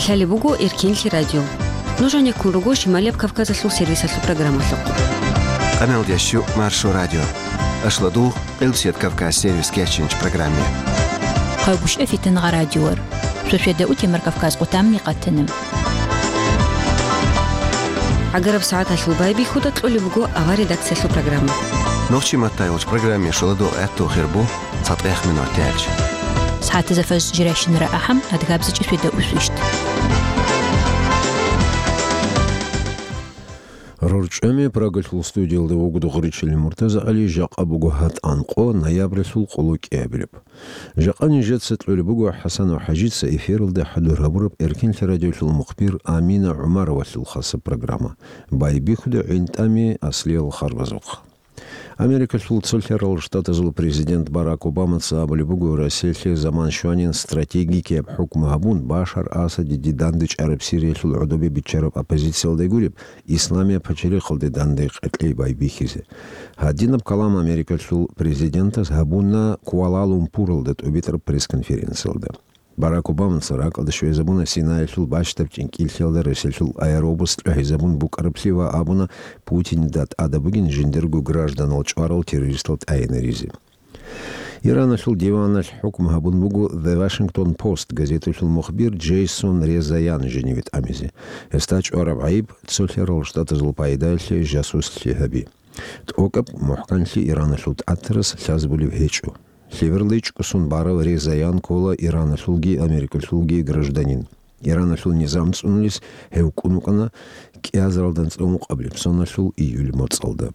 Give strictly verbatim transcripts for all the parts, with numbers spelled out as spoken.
Лъалеб буго Эркенлъи радио. Нуж гьанеккун руго Шималияб Кавказалъул сервисалъул программалъухъ. Къамел дящу Маршо радио. Ашладугъ, Къилбсият Кавказ сервис кечинч программе. Хъайгуща фитангъа радиор. Шошеда утемар Кавказ къутамни къатана. Агараб сагӀаталъул байбихьуда кьолеб буго авар редакциялъул программа. Нохчи маттай уч программе шоладо гӀатту хирбу. ЦатӀех минут тяч. СагӀатазда фажр жирайщинара ахӀам, адгабзичӀи сведа усвищт. РорчӀами Прагалъул студиялда вугода гъуричилин Муртаза ГӀали, жакъа буго гьатӀан къо, ноябралъул къоло кӀиабилеб. Жакъа нижеца кьолеб буго ХӀасанов ХӀажица эфиралда хӀадур гьабураб Эркенлъи радиолъул мухбир Амина ГӀумаровалъул хасаб программа. Байбихьуда гӀинтӀами аслиял харбазухъ. Америкалъул цолъарал штатазул президент Барак Обамаца абулеб буго, Россиялъе заман щванин стратегикияб хӀукму гьабун, Башар Асадиде дандечӀараб Сириялъул гӀодобе биччараб оппозициялда гуреб, Исламияб пачалихъалде данде къеркьей байбихьизе. Гьадинаб калам Америкалъул президентас гьабуна Куала-Лумпуралда тӀубитӀараб пресс-конференциялда. Барак Обамаца ракӀалде щвезабуна Синаялъул бащдаб чӀинкӀиллъиялда ресалъул аэробус кьвагьизабун букӀараблъи ва абуна, Путинида тӀадаб бугин жиндирго гражданал чӀварал террористал тӀагӀинаризе. Ираналъул диваналъ хӀукму гьабун буго The Washington Post газеталъул мухбир Джейсон Резаян жиниве тӀамизе. Гьесда чӀвараб гӀайиб цолъарал штатазул пайдаялъе жасуслъи гьаби. ТӀокӀаб мухӀканлъи Ираналъул тӀатарас лъазабулеб гьечӀо. ЛъеберличӀго сон барав Резаян ккола Ираналъулги Америкалъулги гражданин. Ираналъул низам цӀунулес гьев кӀун вукӀана кӀиазаралда анцӀила ункъабилеб соналъул июль моцӀалда.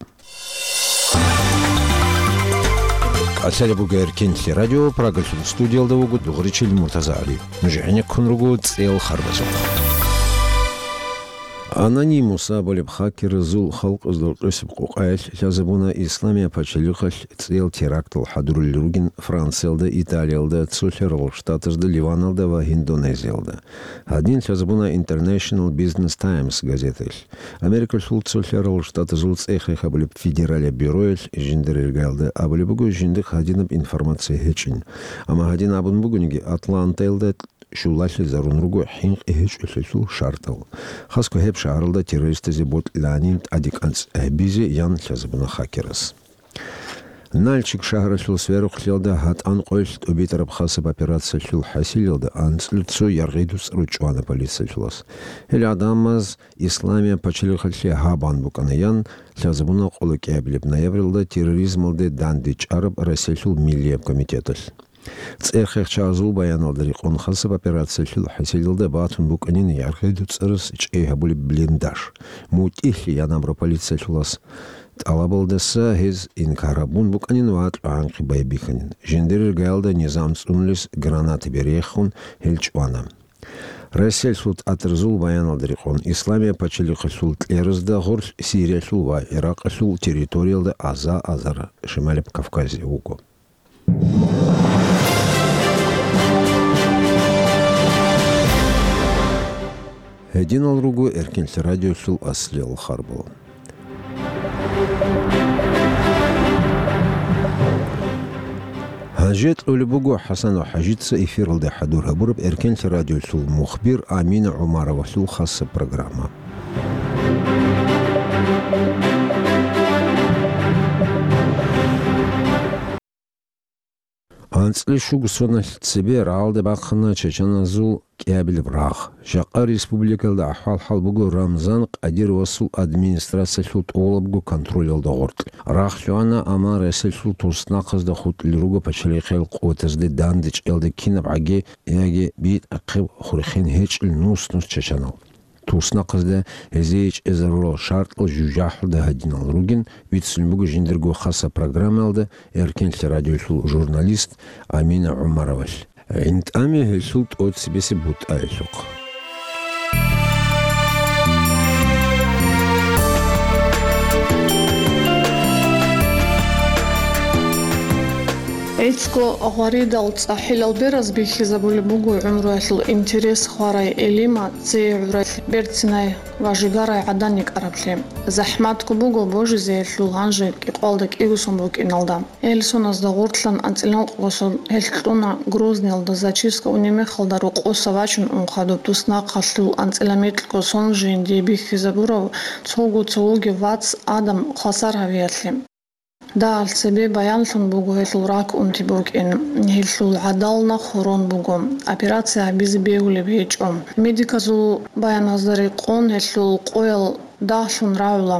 КӀалъалеб буго Эркенлъи радио, Прагалъул студиялда вуго дугъричил Муртаза ГӀали. Нуж гӀенеккун руго цӀел харбазухъ. Анонимус абулеб хакеразул халкъазда рокьесаб къокъаялъ лъазабуна Исламияб пачалихъалъ цӀел терактал хӀадурулел ругин Франциялда, Италиялда, цолъарал штатазда, Ливаналда ва Индонезиялда. Гьадин лъазабуна International Business Times газеталъ. Америкалъул цолъарал штатазул цӀехе гьабулеб федералияб бюроялъ жиндир иргаялда абулеб буго, жиндихъ гьадинаб информация гьечӀин. Амма гьадин абун бугониги, Атлантаялда щулалъизарун руго хӀинкъи гьечӀолъиялъул шартал. Хасго гьеб шагьаралда террористазе бокьилаанин тӀаде кӀанцӀ гьабизе ян лъазабуна хакерас. Нальчик шагьаралъул Сверухълъиялда гьатӀан къоялъ тӀубитӀараб хасаб операциялъул хӀасилалда анцӀила цо яргъи-дуцӀру чӀвана полициялъулас. Гьел гӀадамаз Исламияб пачалихъалъе гьабун букӀана ян лъазабуна къоло кӀиабилеб ноябралда терроризмалде дандечӀараб Россиялъул Миллияб комитеталъ. ЦӀехехъ чагӀазул баяналда рекъон, хасаб операциялъул хӀасилалда батун букӀанин яргъи-дуцӀарас чӀей гьабулеб блиндаж. МутӀигӀлъи ян абураб полициялъулас тӀалабалдаса гьез инкар гьабун букӀанин ва кьвагӀанхъи байбихьанин. Жиндир иргаялда низам цӀунулес гранатаби рехун гьел чӀвана. Россиялъул тӀатарзул баяналда рекъон, Исламияб пачалихъалъул кьеразда гъорлъ Сириялъул ва Иракъалъул территориялда аза-азар Шималаб Кавказе вуго. Гьединал руго Эркенлъи радиолъул аслиял харбал. Гьанже кьолеб буго ХӀасанов ХӀажица эфиралда хӀадур гьабураб Эркенлъи радиолъул мухбир Амина ГӀумаровалъул хасаб программа. АнцӀила щуго соналъ цебе рагӀалде бахъана чачаназул кӀиабилеб рагъ. Жакъа республикалда ахӀвал-хӀал буго Рамзан Къадировасул администрациялъул тӀолабго контролалда гъоркь. Рагъ лъугӀана, амма Россиялъул туснахъазда хутӀулел руго пачалихъиял къуватазде дандечӀелда кинаб гӀаги яги битӀахъе хурхен гьечӀел нус-нус чачанал. Туснахъазда гьезие чӀезарурал шартӀал жужахӀалда гьадинал ругин, бицун буго жиндирго хасаб программаялда Эркенлъи радиолъул журналист Амина ГӀумаровалъ. ГӀинтӀами гьелъул тӀоцебесеб бутӀаялъухъ. ГӀицӀго гъваридал цӀахӀилал бераз бихьизабулеб буго гӀумруялъул интерес хварай Элима цее гӀурай, берцинай ва жигарай гӀадан йикӀараблъи. ЗахӀматго буго божизеялъул гьанже кӀикъвалда кӀигусун букӀиналда. Гьел соназда гъорлъан анцӀила ункъго сон гьел кьуна Грозныйалда зачистка унеб мехалда рокъоса вачун ун хадуб туснахъалъул анцӀила микьго сон жиндие бихьизабурав цого цо вугев вац Адам хвасар гьавиялъе. Дагьал цебе баянлъун буго гьелъул рак унти букӀин. Гьелъул гӀадал нахъ гьорон буго. Операция гьабизе бегьулеб гьечӀо. Медиказул баяназда рекъон гьелъул къоял дагьлъун рагӀула.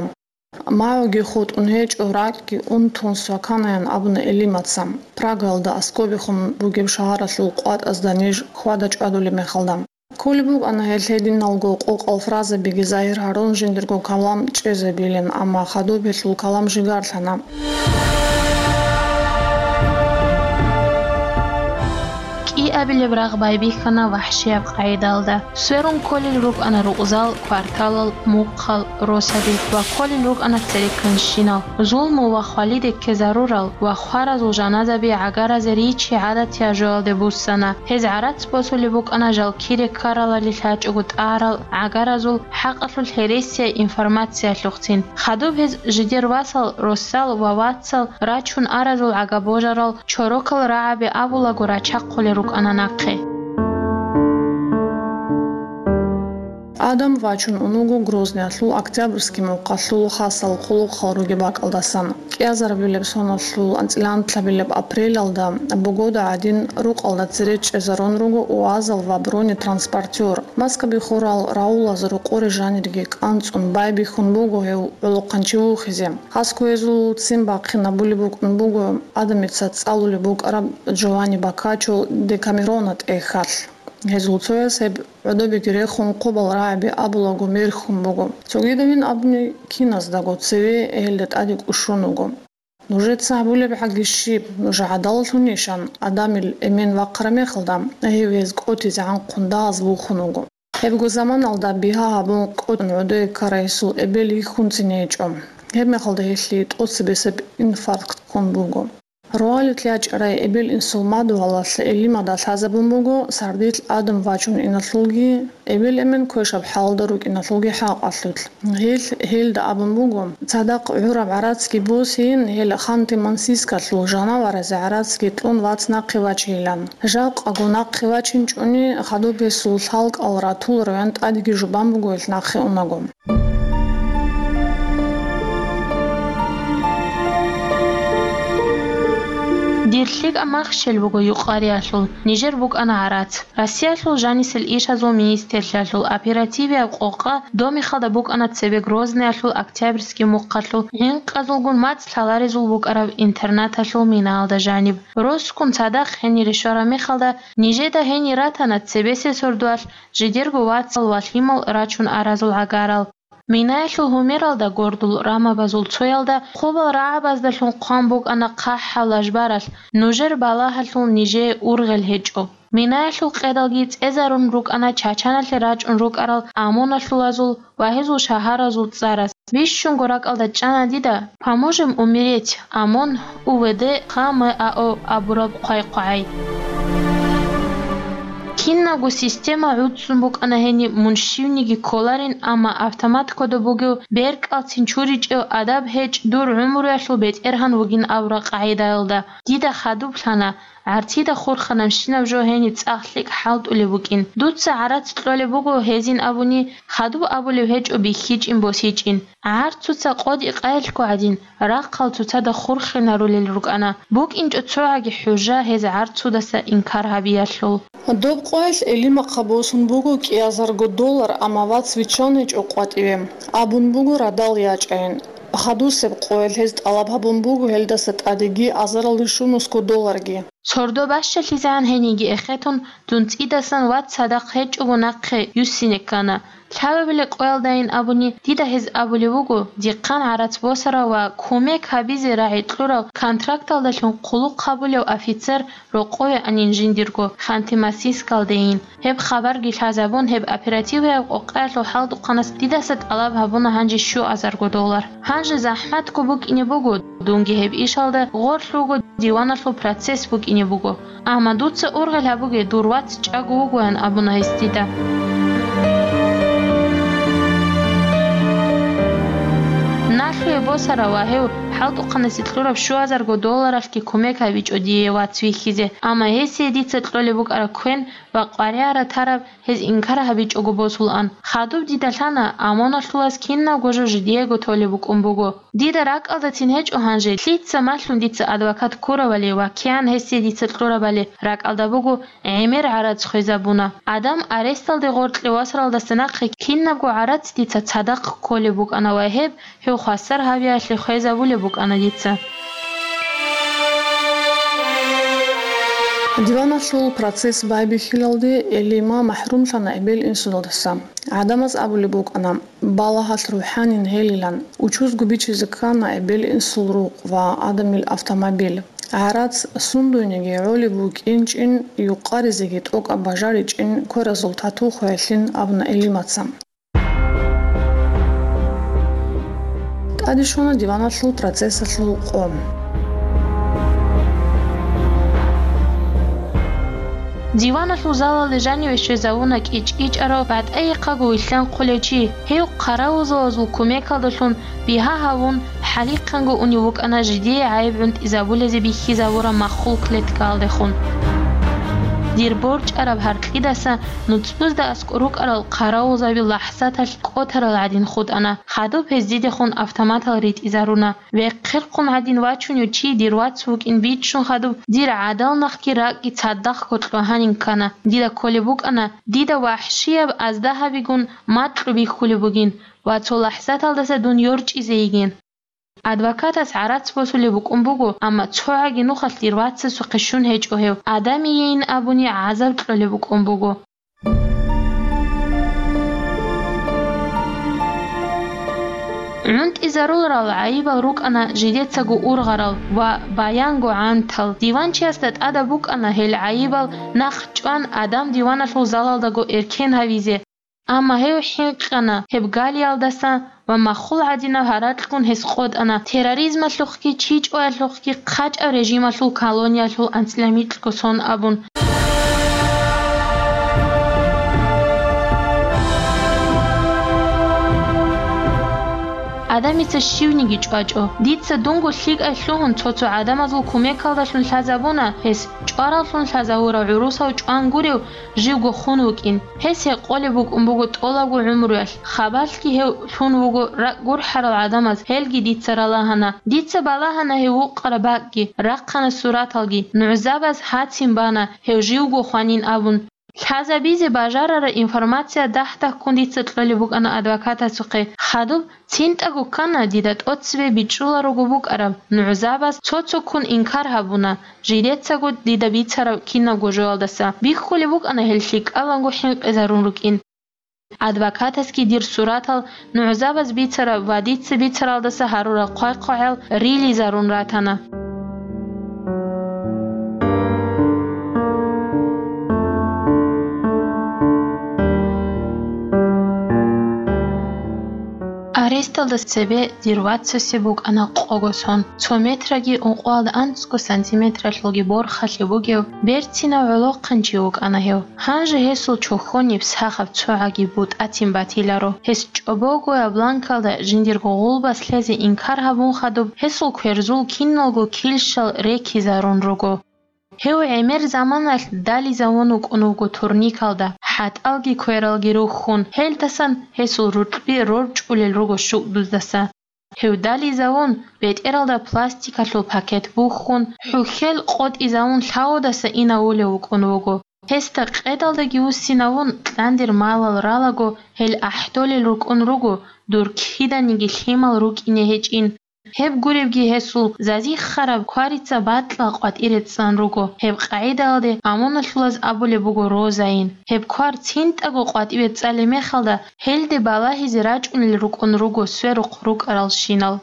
МагӀуги хутӀун гьечӀо, ракӀги унтун сваканаян абуна Элимаца, Прагаялда аскӀобехун бугеб шагьаралъул къватӀазда ниж хьвада-чӀвадулеб мехалда. Кколеб букӀана гьел гьединалго къокъал фразабиги загьир гьарун жиндирго калам чӀезабилин, амма хадуб гьелъул калам жигарлъана. КӀиабилеб рагъ байбихьана вахӀшияб къагӀидалда. Сверун кколел рукӀана рукъзал, кварталал, мухъал, росаби ва кколел рукӀана церекканщинал. Зулму ва хвалиде ккезарурал ва хваразул жаназаби гӀагаразе ричи гӀадатияб жоялде буссана. Гьез гӀарац босулеб букӀана жал кире ккаралали лъачӀого тӀагьарал гӀагаразул хӀакъалъулъ гьересияй информациялъухъцин. Хадуб гьез жидер васал, росал ва вацал рачун аразул гӀагабожарал чорокал рагӀаби абулаго рачахъулел рукӀана нахъе. Адам вачун ун вуго Грозныялъул Октябрьский мухъалъул хасал хъулухъал ругеб бакӀалдасан. КӀиазарбилеб соналъул анцӀила анлъабилеб апрелалда бугода гӀадин рукъалда цере чӀезарун руго УАЗал ва бронетранспортер. Маскаби хурал Раулаз рокъоре жанирги кӀанцӀун байбихьун буго гьев гӀолохъанчи вухизе. Хасго гьезул ццин бахъинабулеб букӀун буго, Адамица цӀалулеб букӀараб Джованни Боккаччо Декамерона тӀехьалъ. Гьезул цояс гьеб гӀодобиги рехун, хъубал рагӀаби абулаго мерхьун буго. Цогидабин абуни, киназдаго цеве гьелда тӀаде кӀушун вуго. Нужеца гьабулеб гӀаги щиб, нуж гӀадалалъунищан? Адамил эмен вахъараб мехалда, гьев гьез кӀотизе гӀанхъун дагьаз вухун вуго. Гьебго заманалда бигьа гьабун кӀочӀун гӀодое ккарай гьесул эбел йихьунцин гьечӀо. Гьеб мехалда гьелъие тӀоцебесеб инфаркт ккун буго. Рогьалилъ ячӀарай эбел-инсул мадугьалалъ Элимада лъазабун буго сардилъ Адам вачун иналъулги, эбел-эмен квешаб хӀалда рукӀиналъулги хӀакъалъулъ. Гьел гьелда абун буго, цадахъ гӀураб гӀарацги босейин, гьел Ханты-Мансийскалъул жанаваразе гӀарацги кьун вац нахъе вачейилан. Жакъаго нахъе вачинчӀони, хадуб гьесул лъалкӀал ратулароян тӀадеги жубан буго гьел нахъе унаго. Дир лъикӀаб мах щел буго юкъариялъул, нижер букӀана гӀарац. Россиялъул жанисел ишазул министрлъиялъул оперативияб къокъа домихалда букӀана цебе Грозныялъул Октябрьский мухъалъул гӀинкъазулгун мацӀ лъаларезул букӀараб интернаталъул минаялда жаниб. Росгун цадахъ гьенире щвараб мехалда, нижеда гьенир ратана цебесеб сордоялъ жидерго вацал ва лъимал рачун аразул гӀагарал. Минаялъул гьумералда гордул рамабазул цоялда хъубал рагӀабаздалъун хъван букӀана хъахӀаб лажбаралъ, нужер балагьалъул нижее ургъел гьечӀо. Минаялъул къедалги цӀезарун рукӀана Чачаналъе рачӀун рукӀарал ОМОНалъулазул ва гьезул шагьаразул цӀарас. Бищунго ракӀалда чӀана дида «Поможем умереть», ОМОН, УВД, ХМАО абураб хъвай-хъвагӀай. Кинабго система гӀуцӀцӀун букӀана гьениб, мун щивниги кколарин, амма автомат кодоб бугев, беркӀалцин чуричӀев, адаб гьечӀ, дур гӀумруялъул бетӀергьан вугин абураб къагӀидаялда. Дида хадуб лъана, гӀарцида хурханабщинаб жо гьениб цӀакъ лъикӀ хӀалтӀулеб букӀин. Дуца гӀарац кьолеб буго гьезин абуни, хадуб абулеб гьечӀо бихьичӀин-босичӀин. ГӀарцуца къотӀи-къаялъго гӀадин, рахъал цоцазда хурхинарулел рукӀана, букӀинчӀо цогӀаги хӀужа гьез гӀарцудаса инкар гьабиялъул. Доб къоялъ Элимахъа босун буго кӀиазарго доллар, амма вац виччан гьечӀо къватӀиве. Абун буго радал ячӀайин. Хадусеб къоялъ гьез тӀалаб гьабун буго гьелдаса тӀадеги азаралде щунусго долларги. Сордо бащалъизегӀан гьениги эхетун, дун цӀидасан вац цадахъ гьечӀого нахъе юссине ккана. Лъабабилеб къоялдайин абуни, дида гьез абулев вуго, дихъан гӀарац босарав ва кумек гьабизе рагӀи кьурав контракталдалъун хъулухъ гьабулев офицер рокъове анин жиндирго Ханты-Мансийскалдейин. Гьеб хабарги лъазабун, гьеб оперативияб къокъаялъул хӀалтӀухъанас дидаса тӀалаб гьабуна гьанже щуазарго доллар. Гьанже захӀматго букӀине буго, дунги гьеб ишалда гъорлъ вуго, диваналъул процесс букӀине буго. Амма дуца ургъел гьабуге, дур вац чӀаго вугоян абуна гьес дида. Налъуе босарав ва гьев хӀалтӀухъанасе кьураб щуазарго долларалъги кумек гьабичӀо дие вац вихьизе, амма гьесие дица кьолеб букӀараб квен ва къваригӀараб тараб гьез инкар гьабичӀого босулаан. Хадуб дида лъана, ОМОНалъулаз кинабго жо жидеего толеб букӀун буго. Дида ракӀалдацин гьечӀо гьанже, лъица малъун дица адвокат ккуравали ва кигӀан гьесие дица кьурабали ракӀалда буго, гӀемер гӀарац хвезабуна. Адам аресталде гъоркье васаралдаса нахъе кинабго гӀарац дица цадахъ кколеб букӀана ва гьеб гьев хвасар гьавиялъе хвезабулеб букӀана дица. Диваналъул процесс байбихьилалде Элима махӀрумлъана эбел-инсудалдаса. ГӀадамаз абулеб букӀана, балагьалъ рухӀанин гьелилан, учузго бичизе ккана эбел-инсул рукъ ва Адамил автомобиль. ГӀарац сундуйниги гӀолеб букӀинчӀин, юкъаризеги тӀокӀаб бажаричӀин кверазул тату хвеялъин абуна Элимаца. ТӀаде щвана диваналъул процессалъул къо. Диваналъул залалде жаниве щвезавуна кӀичӀ-кӀичӀарав, батӀайихъаго вилълъанхъулев чи. Гьев хъаравулзабазул кумекалдалъун бигьа гьавун, хӀалихъанго унев вукӀана жидее гӀайиб гӀунтӀизабулезе бихьизабураб маххул клеткаялдехун. Дир борчӀараб гьаркьидаса нуцӀбузда аскӀор рукӀарал хъаравулзаби лахӀзаталъ кӀотарал гӀадин хутӀана, хадуб гьез дидехун автоматал ритӀизаруна. Вехъерхъун гӀадин вачунев чи дир вац вукӀин бичӀчӀун хадуб, дир гӀадал нахъги ракӀги цадахъго кьвагьанин ккана. Дида кколеб букӀана, дида вахӀшияб аздагьабигун макьу бихьулеб бугин ва цо лахӀзаталдаса дун йорчӀизе йигин. Адвокатас гӀарац босулеб букӀун буго, амма цогӀаги нухалъ дир вацасухъе щун гьечӀо гьев, Адамиейин абуни гӀазаб кьолеб букӀун буго. ГӀунтӀизаруларал гӀайибал рукӀана жидецаго ургъарал ва баянго гӀантал. Диванчиясда тӀадаб букӀана гьел гӀайибал нахъ чӀван, Адам диваналъул залалдаго эркен гьавизе. Амма гьев хӀинкъана гьеб галиялдаса ва маххул гӀадинаб гьаракьгун гьес къотӀана, терроризмалъухъги чичӀоялъухъги хъачӀаб режималъул колониялъул анцӀила микьго сон абун. Адамица щивниги чӀвачӀо. Дица дунго лъикӀай лъугьун цо-цо гӀадамазул кумекалдалъун лъазабуна гьес, чӀвараллъун лъазавурав гӀурусав чӀван гурев, живго хун вукӀин. Гьес гьекъолеб букӀун буго тӀолабго гӀумруялъ. Хабалъги гьев лъун вуго ракӀ гурхӀарал гӀадамаз, гьелги дица ралагьана. Дица балагьана гьев вукъараб бакӀги, рахъана сураталги. НугӀзабаз гьацин бана, гьев живго хванин абун. Лъазабизе бажарараб информация дагь-дагьккун дица кьолеб букӀана адвокатасухъе. Хадуб цинтӀаго ккана дида тӀоцебе бичӀчӀуларого букӀараб. НугӀзабаз цо-цоккун инкар гьабуна, жидецаго дида бицараб кинабго жоялдаса. Бихьулеб букӀана гьел лъикӀаланго хӀинкъизарун рукӀин. Адвокатасги дир суратал нугӀзабаз бицараб ва дица бицаралдаса гьарурал хъвай-хъвагӀал рилизарун ратана. Аресталда цебе дир вацасе букӀана къого сон, цо метраги ункъоялда анцӀго сантиметралъулги борхалъи бугев, берцинав гӀолохъанчи вукӀана гьев. Гьанже гьесул чохьониб сахаб цогӀаги бутӀатин батиларо. Гьес чӀобогояб бланкалда жиндирго гъулбас лъезе инкар гьабун хадуб, гьесул кверзул киналго килщал рекизарун руго. Гьев гӀемер заманалъ дализавун вукӀун вуго турникалда, хӀатӀалги квералги рухьун, гьелдасан гьесул рукьби рорчӀулел руго щукӀдуздаса. Гьев дализавун, бетӀералда пластикалъул пакет бухьун, хӀухьел къотӀизавун лъавудаса инавулев вукӀун вуго. Гьесда къедалдаги вуссинавун, кьандир малал ралаго, гьел ахӀдолел рукӀун руго, дур киданиги лъимал рукӀине гьечӀин. Гьеб гуребги гьесул зазихъараб кварица батӀа къватӀире цӀан руго. Гьеб къагӀидалде амуналъулаз абулеб буго розаин. Гьеб квар цинтӀаго къватӀибе цӀалеб мехалда, гьелде балагьизе рачӀунел рукӀун руго сверухъ рукӀаралщинал.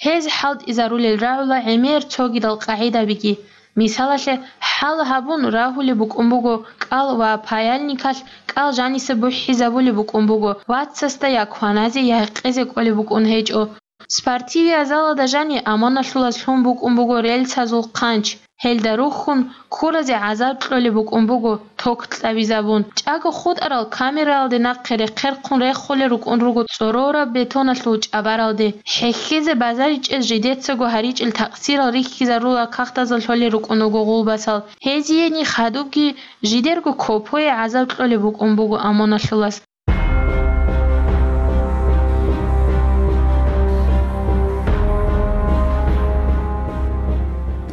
Гьез хӀалтӀизарулел рагӀула гӀемер цогидал къагӀидабиги. Мисалалъе, хӀал гьабун рагьулеб букӀун буго кӀал ва паяльникалъ кӀал жаниса бухӀизабулеб букӀун буго, вацасда я кваназе, я гьекъезе кӀолеб букӀун гьечӀо. Спортивиязалалда жани амоналъулаз лъун букӀун буго рельсазул хъанч. Гьелда рухьун, ккуразе гӀазаб кьолеб букӀун буго ток кьабизабун. ЧӀаго хутӀарал камералде нахъе рехъерхъун рехулел рукӀун руго цӀорораб бетоналъул чӀабаралде. ХӀехьезе базаричӀел жидецаго гьаричӀел такъсирал рихьизарула кагътазда лъолел рукӀун руго гъулбасал. Гьезиени хадубги жидерго копое гӀазаб кьолеб букӀун буго амоналъулаз.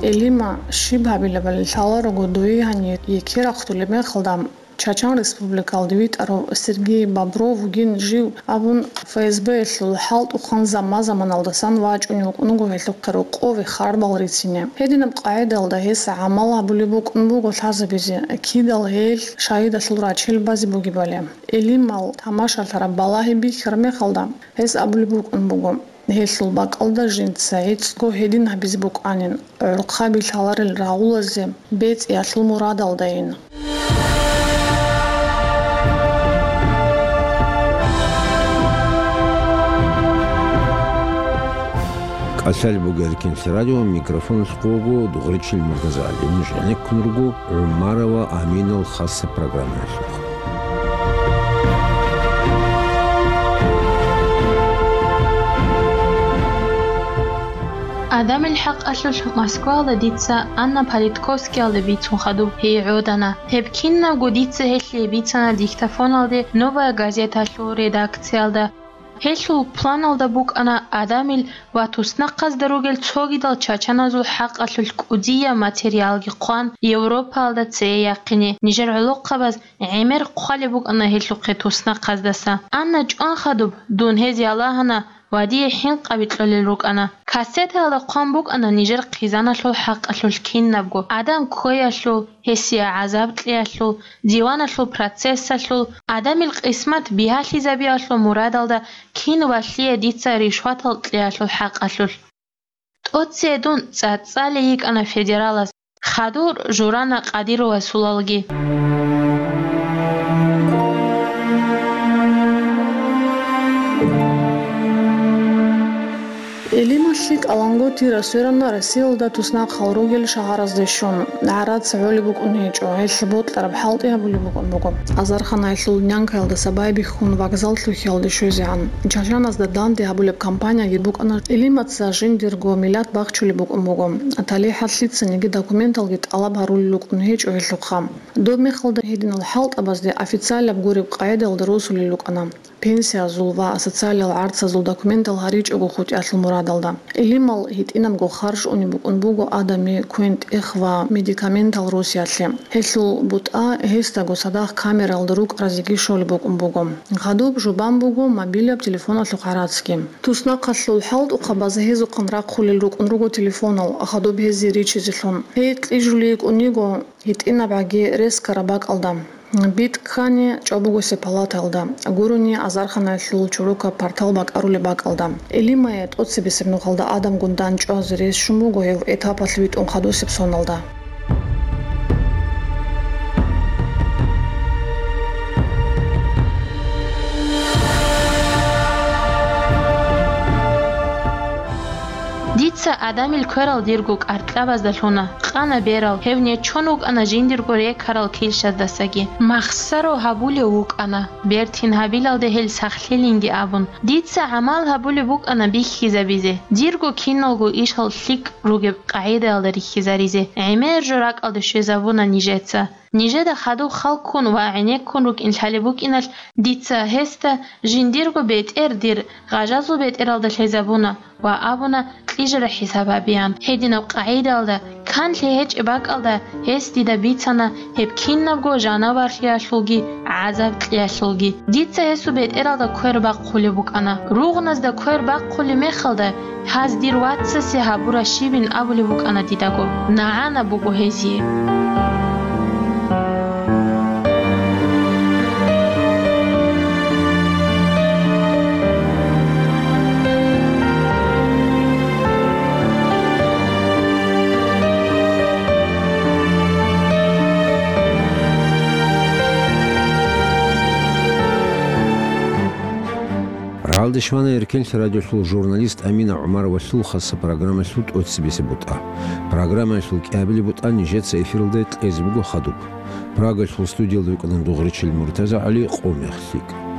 Элима, щиб гьабилебали лъаларого дуе гьанир, еке рахъдулеб мехалда Чачан Республикалде витӀарав Сергей Бобров вугин жив абун, ФСБ-ялъул хӀалтӀухъан заман-заманалдасан вачӀунев вукӀун вуго гьелъухъе рокъове харбал рицине. Гьединаб къагӀидаялда гьес гӀамал гьабулеб букӀун буго лъазабизе, кидал гьел шагьидалъул рачел базе бугебали. Элимал тамашалъараб балагьи бихьараб мехалда, гьес абулеб букӀун буго, гьелъул бакӀалда жинца гӀицӀго гьедин гьабизе букӀанин, гӀорхъаби лъаларел рагъулазе бецӀиялъул мурадалдайин. КӀалъал бугел кинс радио, микрофон хъуго Дугъричил Муртазали. Нуж гӀенеккун руго ГӀумарова Аминал хасаб программаялъухъ. Адамил хӀакъалъулъ Москваялда дица Анна Политковскиялда бицун хадуб гьей гӀодана. Гьеб кинабго дица гьелъие бицана диктофоналде «Новая газеталъул» редакциялда. Гьелъул планалда букӀана адамил ва туснахъазда ругел цогидал чачаназул хӀакъалъулъ кӀудияб материалги хъван, Европаялда цее яхъине. Нижер гӀолохъабаз гӀемер хъвалеб букӀана гьелъухъе туснахъаздаса. Анна чӀван хадуб, дун гьезие лагьана ва дие хӀинкъаби кьолел рукӀана. Кассетаялда хъван букӀана нижер хъизаналъул хӀакъалъулъ кинабго: адам кквеялъул, гьесие гӀазаб кьеялъул, диваналъул процессалъул, адамил къисмат бигьалъизабиялъул мурадалда кин валъие дица ришватал кьеялъул хӀакъалъулъ. ТӀоцее дун цӀацӀалей йикӀана федералас, хадур журана Къадировасулалги. Элималъи кӀалангутира сверана Россиялда туснахъал ругел шагьаразде щун. ГӀарац гӀолеб букӀун гьечӀо, гьелъ бокьараб хӀалтӀи гьабулеб букӀун буго. Азарханаялъул нянкаялдаса байбихьун вокзал лъухьиялде щвезегӀан. Чачаназда данде гьабулеб компанияги букӀана, Элимаца жиндирго миллат бахчулеб букӀун буго. ТалихӀалъ лъицаниги документалги тӀалаб гьарулел рукӀун гьечӀо гьелъухъа. Доб мехалда гьединал хӀалтӀабазде официалаб гуреб къагӀидаялда росулел рукӀана. Пенсиязул ва социалиял гӀарцазул документал гьаричӀого хутӀиялъул мурадалда. Элимал гьитӀинабго харж унеб букӀун буго адами квен-тӀех ва медикаментал росиялъе. Гьелъул бутӀа гьесдаго цадахъ камераялда рукӀаразеги щолеб букӀун буго. Хадуб жубан буго мобилаб телефоналъухъ гӀарацги. Туснахъалъул хӀалтӀухъабаз гьезухъан рахъулел рукӀун руго телефонал, хадуб гьезие ричизелъун. Гьей кьижулей йикӀун йиго гьитӀинабгӀаги рескараб бакӀалда. БитӀ ккани чӀобогосеб палатаялда, гурони азарханаялъул чорокаб партал бакӀарулеб бакӀалда. Элимае тӀоцебесеб нухалда адамгун дандчӀвазе рес щун буго гьев этапалъ витӀун хадусеб соналда. Дица адамил кверал дирго кӀаркьабазда лъуна. Къана берал, гьев нечон вукӀана жиндирго рекарал килщаздасаги. Махсаро гьабулев вукӀана, бертин гьабилалде гьел сахлъилинги абун. Дица гӀамал гьабулеб букӀана бихьизабизе, дирго киналго ишал лъикӀ ругеб къагӀидаялда рихьизаризе. ГӀемер жо ракӀалде щвезабуна нижеца. Нижеда хадуб халккун ва гӀенеккун рукӀин лъалеб букӀиналъ, дица гьесда жиндирго бетӀер дир гъажазул бетӀералда лъезабуна ва абуна кьижара хӀисаб гьабеян. Гьединаб къагӀидаялда, канлъи гьечӀеб бакӀалда, гьес дида бицана гьеб кинабго жанаварлъиялъулги гӀазаб кьеялъулги. Дица гьесул бетӀералда квер бахъулеб букӀана. Ругъназда квер бахъулеб мехалда, гьаз дир вацасе гьабура щибин абулеб букӀана дидаго. НагӀана буго гьезие. Дашмана Эркенлъ радиолъул журналист Амина ГӀумаровалъул хаса программалъул тӀоцебесеб бутӀа. Программалъул кӀиабилеб бутӀа нижеца эфиралда кьезе буго хадуб. Прагалъул студиялда вукӀана дугъричил Муртаза ГӀали, Къо мех лъикӀ.